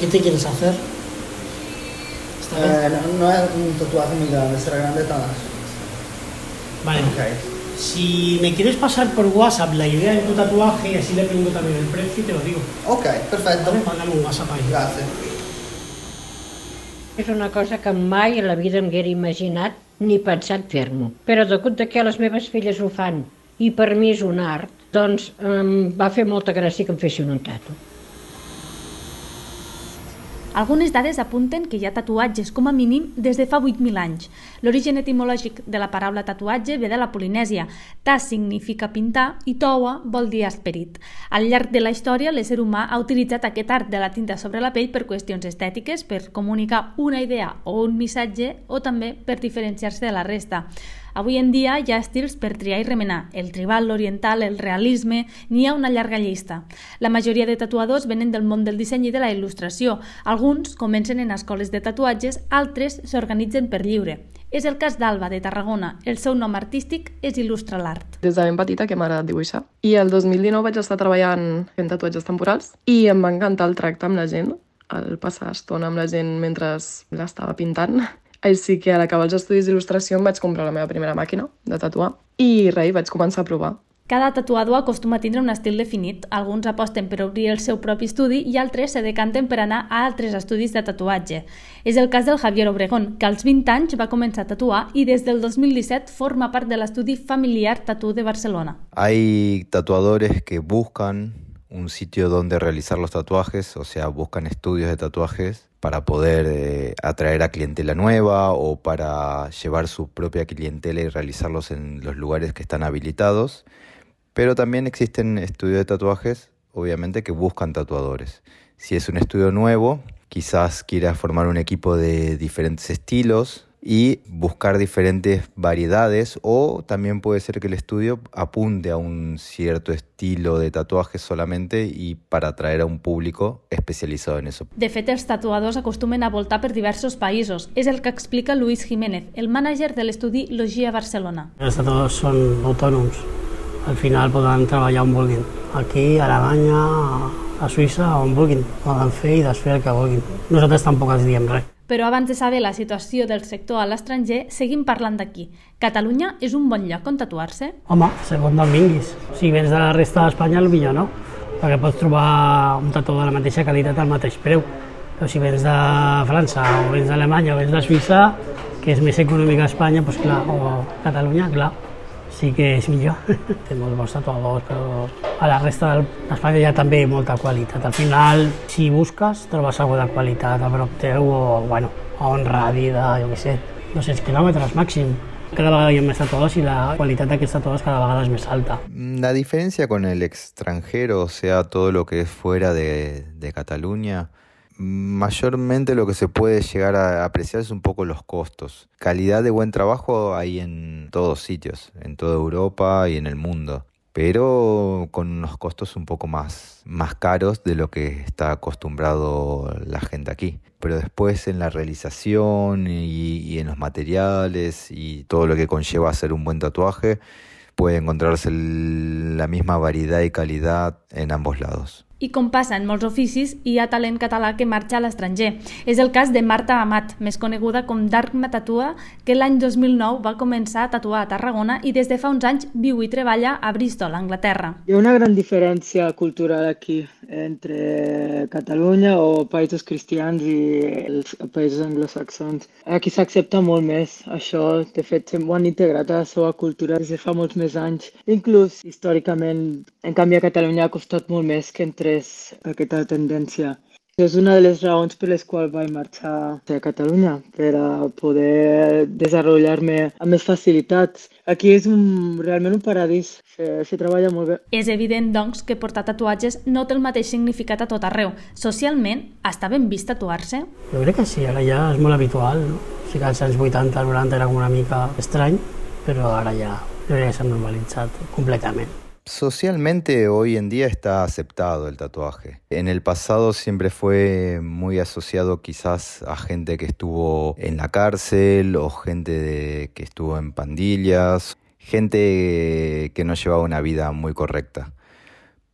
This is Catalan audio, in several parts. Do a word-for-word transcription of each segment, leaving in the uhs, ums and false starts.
¿Qué te quieres hacer? Eh, no, no es un tatuaje muy grande, será grande de todas. Vale. Okay. Si me quieres pasar por WhatsApp la idea de tu tatuaje y así le pingo también el precio y te lo digo. Ok, perfecto. Vale, mándame un WhatsApp ahí. Gracias. És una cosa que mai a la vida em haguera imaginat ni pensat fer-m'ho. Però degut que les meves filles ho fan i per mi és un art, doncs em va fer molta gràcia que em fessin un tatu. Algunes dades apunten que hi ha tatuatges com a mínim des de fa vuit mil anys. L'origen etimològic de la paraula tatuatge ve de la Polinèsia. Ta significa pintar i toa vol dir esperit. Al llarg de la història, l'ésser humà ha utilitzat aquest art de la tinta sobre la pell per qüestions estètiques, per comunicar una idea o un missatge o també per diferenciar-se de la resta. Avui en dia hi ha estils per triar i remenar, el tribal, l'oriental, el realisme, n'hi ha una llarga llista. La majoria de tatuadors venen del món del disseny i de la il·lustració. Alguns comencen en escoles de tatuatges, altres s'organitzen per lliure. És el cas d'Alba, de Tarragona. El seu nom artístic és Il·lustra l'Art. Des de ben petita que m'ha agradat dibuixar. I el dos mil dinou vaig estar treballant fent tatuatges temporals i em va encantar el tracte amb la gent, el passar estona amb la gent mentre l'estava pintant. Així que a l'acabar els estudis d'il·lustració em vaig comprar la meva primera màquina de tatuar i res, vaig començar a provar. Cada tatuador acostuma a tindre un estil definit. Alguns aposten per obrir el seu propi estudi i altres se decanten per anar a altres estudis de tatuatge. És el cas del Javier Obregón, que als vint anys va començar a tatuar i des del dos mil disset forma part de l'estudi familiar Tattoo de Barcelona. Hay tatuadores que buscan un sitio donde realizar los tatuajes, o sea, buscan estudios de tatuajes para poder eh, atraer a clientela nueva o para llevar su propia clientela y realizarlos en los lugares que están habilitados. Pero también existen estudios de tatuajes, obviamente, que buscan tatuadores. Si es un estudio nuevo, quizás quiera formar un equipo de diferentes estilos y buscar diferentes variedades, o también puede ser que el estudio apunte a un cierto estilo de tatuaje solamente y para atraer a un público especializado en eso. De fet, els tatuadors acostumen a voltar per diversos països. És el que explica Luis Jiménez, el mànager de l'estudi Logia Barcelona. Els tatuadors són autònoms. Al final poden treballar on vulguin. Aquí, a Alemanya, a Suïssa, on vulguin. Poden fer i desfer el que vulguin. Nosaltres tampoc els diem res. Però abans de saber la situació del sector a l'estranger, seguim parlant d'aquí. Catalunya és un bon lloc on tatuar-se? Home, segons d'on vinguis. Si vens de la resta d'Espanya, potser no, perquè pots trobar un tatuador de la mateixa qualitat al mateix preu. Però si vens de França, o vens d'Alemanya, o vens de Suïssa, que és més econòmica a Espanya, doncs clar, o Catalunya, clar, sí que és millor. Té molts bons tatuadors, però a la resta d'Espanya hi ha també molta qualitat. Al final, si busques, trobes alguna de qualitat a prop teu o, bueno, a un radi de, jo què sé, dos-cents quilòmetres màxim. Cada vegada hi ha més tatuadors i la qualitat d'aquests tatuadors cada vegada és més alta. La diferencia con el extranjero, o sea, todo lo que es fuera de, de Cataluña, mayormente lo que se puede llegar a apreciar es un poco los costos. Calidad de buen trabajo hay en todos sitios, en toda Europa y en el mundo, pero con unos costos un poco más, más caros de lo que está acostumbrado la gente aquí. Pero después en la realización y, y en los materiales y todo lo que conlleva hacer un buen tatuaje, puede encontrarse el, la misma variedad y calidad en ambos lados. I com passa en molts oficis, hi ha talent català que marxa a l'estranger. És el cas de Marta Amat, més coneguda com Darkma Tatua, que l'any dos mil nou va començar a tatuar a Tarragona i des de fa uns anys viu i treballa a Bristol, Anglaterra. Hi ha una gran diferència cultural aquí entre Catalunya o països cristians i els països anglosaxons. Aquí s'accepta molt més això, de fet ho han integrat a la seva cultura des de fa molts més anys. Inclús històricament, en canvi a Catalunya ha costat molt més que entre aquesta tendència. És una de les raons per les quals vaig marxar a Catalunya, per a poder desenvolupar-me amb més facilitats. Aquí és un, realment un paradís, se, se treballa molt bé. És evident, doncs, que portar tatuatges no té el mateix significat a tot arreu. Socialment, està ben vist tatuar-se? Jo crec que sí, ara ja és molt habitual, no? Sí que als anys vuitanta, noranta era una mica estrany, però ara ja, jo crec que s'ha normalitzat completament. Socialmente hoy en día está aceptado el tatuaje. En el pasado siempre fue muy asociado quizás a gente que estuvo en la cárcel o gente de, que estuvo en pandillas, gente que no llevaba una vida muy correcta.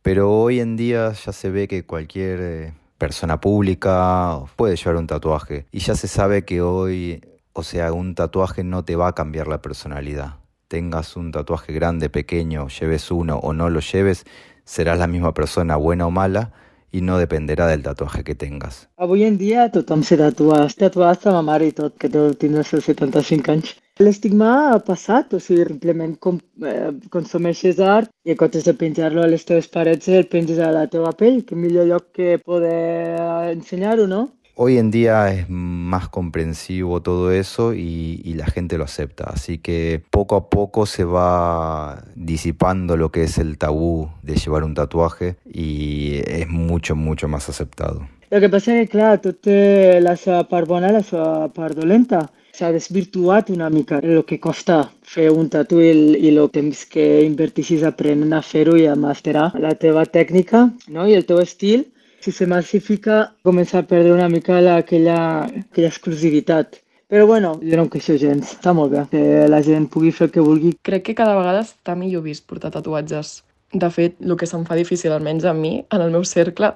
Pero hoy en día ya se ve que cualquier persona pública puede llevar un tatuaje. Y ya se sabe que hoy, o sea, un tatuaje no te va a cambiar la personalidad. Tengas un tatuaje grande, pequeño, lleves uno o no lo lleves, serás la misma persona, buena o mala, i no dependerà del tatuatge que tengas. Avui en dia tothom se tatua. Es tatua hasta ma mare i tot, que deu tindre els seus setanta-cinc anys. L'estigma ha passat, o sigui, simplement com, eh, consumeixes art i en comptes de penjar-lo a les teves parets el penges a la teva pell, que millor lloc que poder ensenyar-ho, no? Hoy en día es más comprensivo todo eso y, y la gente lo acepta, así que poco a poco se va disipando lo que es el tabú de llevar un tatuaje y es mucho, mucho más aceptado. El que passa és que, clar, tot té la seva part bona i la seva part dolenta. S'ha desvirtuat una mica el que costa fer un tatu i, i el temps que invertixis aprenent a fer-ho i a masterar la teva tècnica, no? I el teu estil. Si se massifica, comença a perdre una mica la, aquella, aquella exclusivitat. Però bueno, jo no em queixo gens, està molt bé que la gent pugui fer el que vulgui. Crec que cada vegada està millor vist portar tatuatges. De fet, el que se'm fa difícil, almenys a mi, en el meu cercle,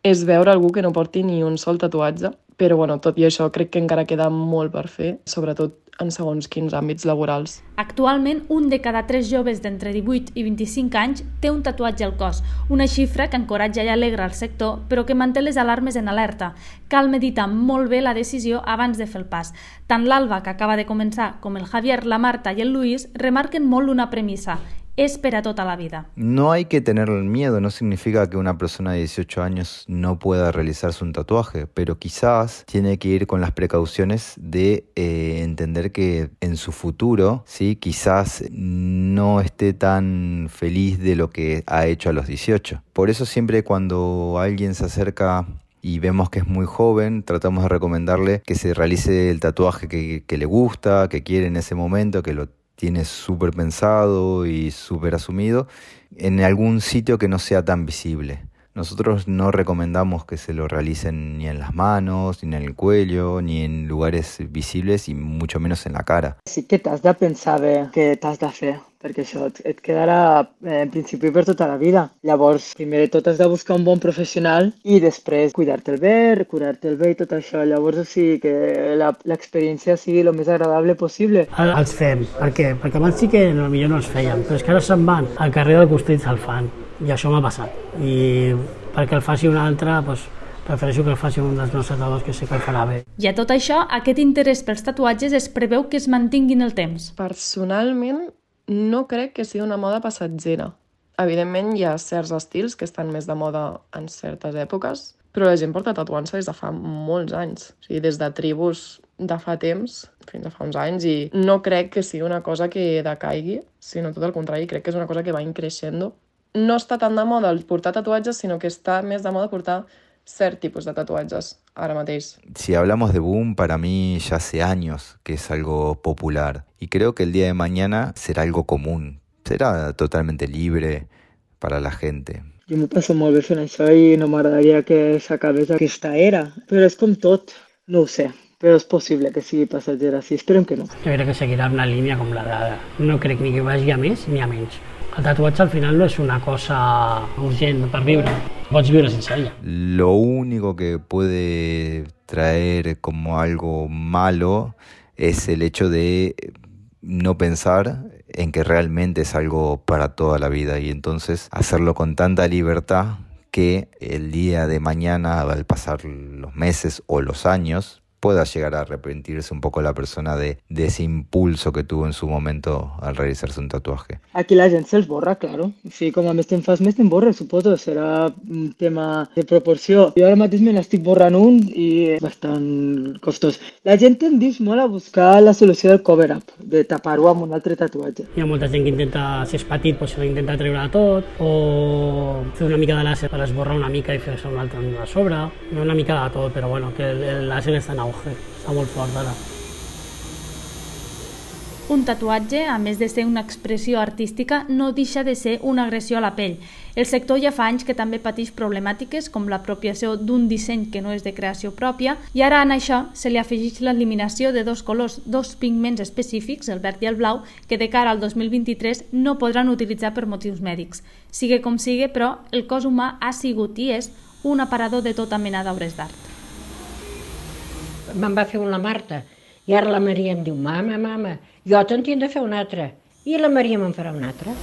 és veure algú que no porti ni un sol tatuatge. Però bueno, tot i això, crec que encara queda molt per fer, sobretot en segons quins àmbits laborals. Actualment, un de cada tres joves d'entre divuit i vint-i-cinc anys té un tatuatge al cos, una xifra que encoratja i alegra el sector, però que manté les alarmes en alerta. Cal meditar molt bé la decisió abans de fer el pas. Tant l'Alba, que acaba de començar, com el Javier, la Marta i el Luis remarquen molt una premissa: es para toda la vida. No hay que tener miedo, no significa que una persona de dieciocho años no pueda realizarse un tatuaje, pero quizás tiene que ir con las precauciones de eh, entender que en su futuro, ¿sí? Quizás no esté tan feliz de lo que ha hecho a los dieciocho. Por eso siempre cuando alguien se acerca y vemos que es muy joven, tratamos de recomendarle que se realice el tatuaje que, que le gusta, que quiere en ese momento, que lo tiene súper pensado y súper asumido, en algún sitio que no sea tan visible. Nosotros no recomendamos que se lo realicen ni en las manos, ni en el cuello, ni en lugares visibles y mucho menos en la cara. Sí que t'has de pensar bé què t'has de fer, perquè això et quedarà eh, en principi per tota la vida. Llavors, primer de tot has de buscar un bon professional i després cuidar-te'l bé, curar-te'l bé i tot això. Llavors, o sigui, que l'experiència sigui el més agradable possible. Ara els fem. Per què? Perquè abans sí que potser no els fèiem, però és que ara se'n van al carrer del costat i se'l fan. I això m'ha passat. I perquè el faci un altre, doncs, prefereixo que el faci un dels meus tatuadors que sé que el farà bé. I a tot això, aquest interès pels tatuatges es preveu que es mantinguin el temps. Personalment, no crec que sigui una moda passatgera. Evidentment, hi ha certs estils que estan més de moda en certes èpoques, però la gent porta tatuant-se des de fa molts anys. O sigui, des de tribus de fa temps fins a fa uns anys, i no crec que sigui una cosa que decaigui, sinó tot el contrari, crec que és una cosa que va increixent. No està tan de moda el portar tatuatges, sino que está més de moda portar cert tipus de tatuatges ara mateix. Si hablamos de boom, para mí ya hace años que es algo popular. Y creo que el día de mañana será algo común. Será totalmente libre para la gente. Jo m'ho passo molt bé fent això i no m'agradaria que s'acabés aquesta era. Però és com tot, no ho sé. Però és possible que sigui passatgera, sí, esperem que no. Jo crec que seguirà una línia com la d'ara. No crec ni que vagi a més ni a menys. El tatuatge al final no és una cosa urgent per viure, pots viure sense ella. Lo único que puede traer como algo malo es el hecho de no pensar en que realmente es algo para toda la vida y entonces hacerlo con tanta libertad que el día de mañana, al pasar los meses o los años, pueda llegar a arrepentirse un poco la persona de, de ese impulso que tuvo en su momento al realizarse un tatuaje. Aquí la gent se'ls borra, claro. Sí, com a més te'n fas, més te'n borra, suposo. Serà un tema de proporció. Jo ara mateix me n'estic borrant un i és bastant costós. La gent tendeix molt a buscar la solució del cover-up, de tapar-ho amb un altre tatuatge. Hi ha molta gent que intenta, si és petit, doncs intenta treure tot, o fer una mica de làser per esborrar una mica i fer-se un altre a sobre. Una mica de tot, però bueno, que el làser està en auge. Està molt fort ara. Un tatuatge, a més de ser una expressió artística, no deixa de ser una agressió a la pell. El sector ja fa anys que també pateix problemàtiques com l'apropiació d'un disseny que no és de creació pròpia, i ara en això se li afegeix l'eliminació de dos colors, dos pigments específics, el verd i el blau, que de cara al dos mil vint-i-tres no podran utilitzar per motius mèdics. Sigue com sigue, però, el cos humà ha sigut i és un aparador de tota mena d'obres d'art. Me'n va fer un la Marta, i ara la Maria em diu, mama, mama, jo te'n tinc de fer un altre, i la Maria me'n farà un altre.